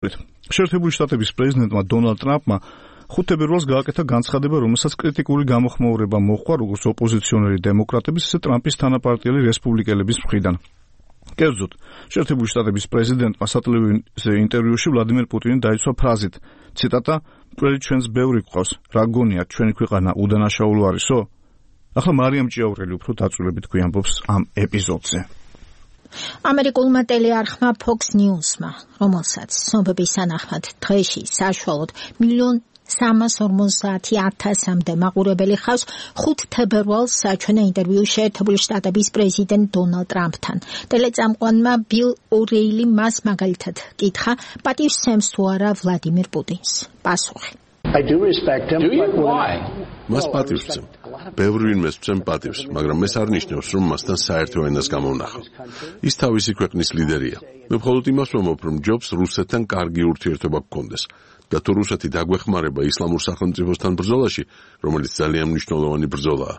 შეერთებული შტატების პრეზიდენტმა დონალდ ტრამპმა 5 თებერვალს გააკეთა განცხადება, რომელსაც კრიტიკული გამოხმაურება მოჰყვა როგორც ოპოზიციონერი დემოკრატების, ისე ტრამპის თანაპარტიელი რესპუბლიკელების მხრიდან. კერძოდ, შეერთებული შტატების პრეზიდენტმა სატელევიზიო ინტერვიუში ვლადიმერ პუტინი დაიცვა ფრაზით, ციტატა, მკვლელი ჩვენს ბევრი გვყავს, რა გონიათ, ჩვენი ქვეყანა უდანაშაულო არისო? ახლა მარიამ ჭიაურელი უფრო დაწვრილებით გვიამბობს ამ ეპიზოდზე. ამერიკულმა ტელეარხმა Fox News-მა, რომელსაც ცნობების თანახმად დღეში საშუალოდ 1,350,000-მდე მაყურებელი ხავს, 5 თებერვალს საჩვენა ინტერვიუ შეერთებული შტატების პრეზიდენტ დონალდ ტრამპთან. ტელეწამყვანმა ბილ ორეილი მას მაგალითად კითხა, პატივს სცემს თუ არა ვლადიმერ პუტინს. პასუხი. მას პატივს ვცემ. ბევრი ვინმეს ვცემ პატივს, მაგრამ ეს არ ნიშნავს, რომ მასთან საერთო ენას გამოვნახავ. ის თავისი ქვეყნის ლიდერია. მე მხოლოდ იმას ვამბობ, რომ ჯობს რუსეთთან კარგი ურთიერთობა გქონდეს. და თუ რუსეთი დაგვეხმარება ისლამურ სახელმწიფოსთან ბრძოლაში, რომელიც ძალიან მნიშვნელოვანი ბრძოლაა,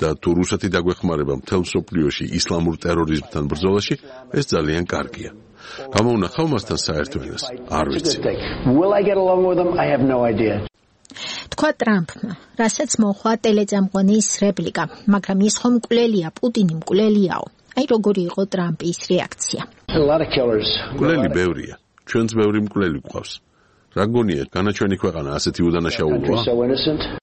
და თუ რუსეთი დაგვეხმარება მთელ მსოფლიოში ისლამურ ტერორიზმთან ბრძოლაში, ეს ძალიან კარგია. გამოვნახავ მასთან საერთო ენას? არ ვიცი. თქვა ტრამპმა, რასაც მოხდა ტელეწამყვანის რეპლიკა, მაგრამ ის ხომ მკვლელია, პუტინი მკვლელიაო. აი როგორი იყო ტრამპის რეაქცია. მკვლელი ბევრია. ჩვენც ბევრი მკვლელი გვყავს. რა გონიათ, განაჩვენი ქვეყანა ასეთი უდანაშაულოა?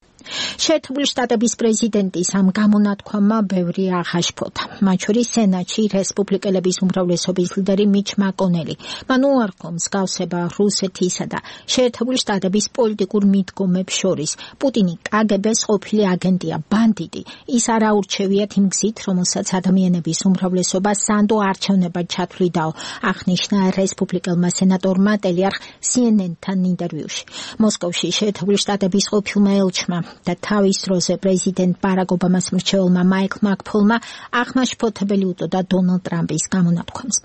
შეერთებული შტატების პრეზიდენტის ამ გამონათქვამმა ბევრი აღაშფოთა. მათ შორის სენატში რესპუბლიკელების უმრავლესობის ლიდერი მიჩ მაკონელი. მან უარყო მსგავსება რუსეთისა და შეერთებული შტატების პოლიტიკურ მიდგომებს შორის. პუტინი კგბ-ს ყოფილი აგენტია, ბანდიტი. ის არ აურჩევიათ იმ გზით, რომელსაც ადამიანების უმრავლესობა სანდო არჩევნებად ჩათვლიდაო, აღნიშნა რესპუბლიკელმა სენატორმა ტელეარხ CNN-თან ინტერვიუში. მოსკოვში შეერთებული შტატების ყოფილმა ელჩმა და თავის დროზე პრეზიდენტ ბარაკ ობამას მრჩეველმა მაიკლ მაკფოლმა აღმაშფოთებელი უტოდა დონალდ ტრამპის გამონათქვამს.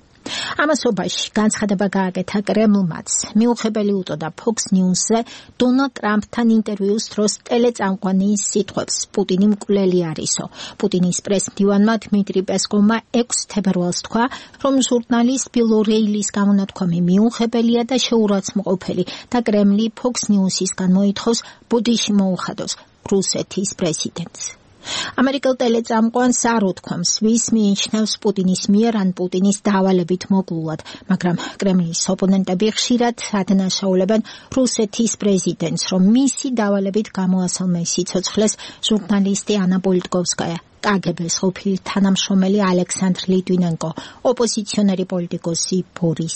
ამასობაში განცხადება გააკეთა კრემლმაც. მიუღებელი უტოდა Fox News-ზე დონალდ ტრამპთან ინტერვიუს დროს ტელეწამყვანის სიტყვებს, პუტინი მკვლელი არისო. პუტინის პრესმდივანმა დმიტრი პესკოვმა 6 თებერვალს თქვა, რომ ჟურნალისტ ბილ ორეილის გამონათქვამი მიუღებელია და შეურაცხმყოფელი და კრემლი Fox News-ისგან მოითხოვს ბოდიში მოუხადოს რუსეთის პრეზიდენტს. ამერიკელ ტელეწამყვანს არ უთქვამს, ვის მიიჩნევს პუტინის მიერ ან პუტინის დავალებით მოგლულად, მაგრამ კრემლის ოპონენტები ხშირად ადანაშაულებენ რუსეთის პრეზიდენტს, რომ მისი დავალებით გამოასალმე სიცოცხლეს ჟურნალისტი ანა პოლიტკოვსკაია, კგბ-ს ყოფილი თანამშრომელი ალექსანდრ ლიტვინენკო, ოპოზიციონერი პოლიტიკოსი ბორის